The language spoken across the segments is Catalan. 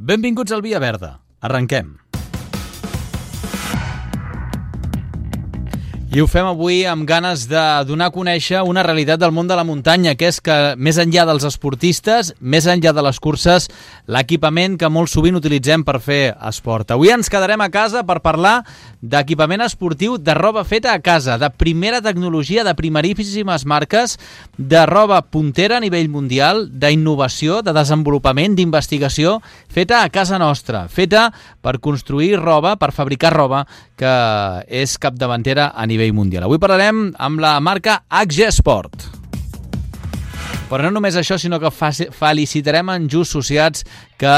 Benvinguts al Via Verda. Arrenquem. I ho fem avui amb ganes de donar a conèixer una realitat del món de la muntanya, que és que més enllà dels esportistes, més enllà de les curses, l'equipament que molt sovint utilitzem per fer esport. Avui ens quedarem a casa per parlar d'equipament esportiu, de roba feta a casa, de primera tecnologia, de primeríssimes marques, de roba puntera a nivell mundial, d'innovació, de desenvolupament, d'investigació, feta a casa nostra, feta per construir roba, per fabricar roba, que és capdavantera a nivell mundial. Avui parlarem amb la marca HG Sport. Però no només això, sinó que felicitarem en Just Sociats que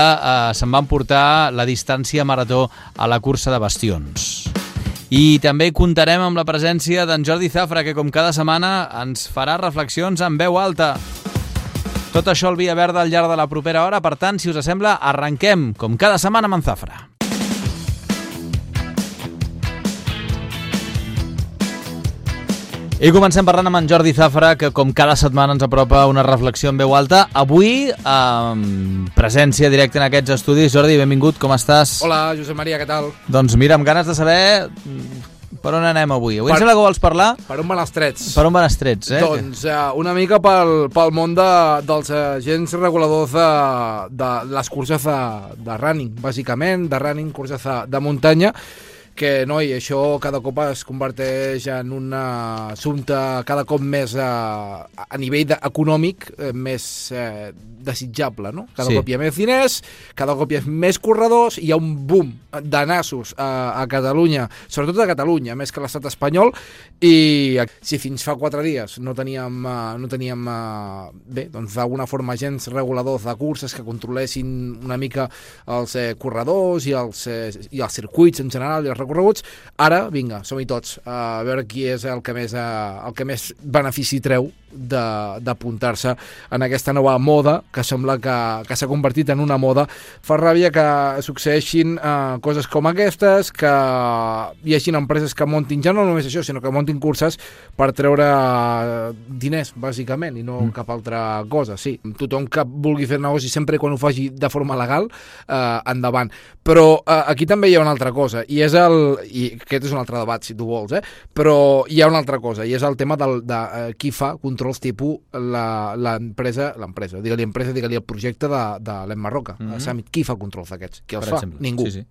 se'n van portar la distància marató a la cursa de bastions. I també comptarem amb la presència d'en Jordi Zafra, que com cada setmana ens farà reflexions en veu alta. Tot això al Via Verda al llarg de la propera hora, per tant, si us sembla, arrenquem com cada setmana amb en Zafra. I comencem parlant amb en Jordi Zafra, que com cada setmana ens apropa una reflexió en veu alta. Avui, presència directa en aquests estudis. Jordi, benvingut, com estàs? Hola, Josep Maria, què tal? Doncs mira, amb ganes de saber per on anem avui. Avui em sembla que vols parlar... Per on van els trets? Per on van els trets, eh? Doncs una mica pel món dels agents reguladors de les curses de running, bàsicament, de running, curses de muntanya, que, noi, això cada cop es converteix en un assumpte cada cop més a nivell econòmic més desitjable, no? Cada cop hi ha més diners, cada cop hi ha més corredors, hi ha un boom de nassos a Catalunya, sobretot a Catalunya, més que a l'estat espanyol, i si fins fa 4 dies no teníem bé, doncs d'alguna forma agents reguladors de curses que controlessin una mica els corredors i els circuits en general i els recorreguts, ara, vinga, som-hi tots a veure qui és el que més benefici treu d'apuntar-se en aquesta nova moda que sembla que s'ha convertit en una moda. Fa ràbia que succeeixin coses com aquestes, que hi hagi empreses que montin, ja no només això, sinó que montin curses per treure diners, bàsicament, i no cap altra cosa. Sí, tothom que vulgui fer negoci, sempre quan ho faci de forma legal, endavant. Però aquí també hi ha una altra cosa, i aquest és un altre debat, si tu vols, però hi ha una altra cosa, i és el tema de qui fa controls tipus l'empresa, digue-li el projecte de l'Emma Roca, Summit. Qui fa controls d'aquests? Qui els fa? Ningú. Sí.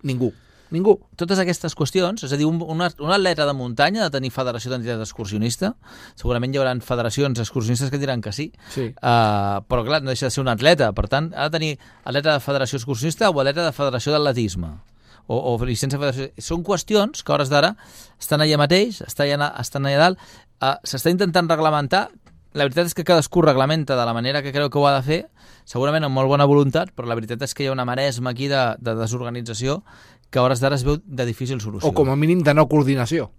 Ningú. Totes aquestes qüestions, és a dir, un atleta de muntanya ha de tenir federació d'entitat excursionista, segurament hi haurà federacions excursionistes que diran que sí. Però clar, no deixa de ser un atleta, per tant, ha de tenir atleta de federació excursionista o atleta de federació d'atletisme. O llicència de federació. Són qüestions que a hores d'ara estan allà mateix, estan allà dalt, s'està intentant reglamentar. La veritat és que cadascú reglamenta de la manera que creu que ho ha de fer, segurament amb molt bona voluntat, però la veritat és que hi ha una maresma aquí de desorganització que a hores d'ara es veu de difícil solució. O com a mínim de no coordinació.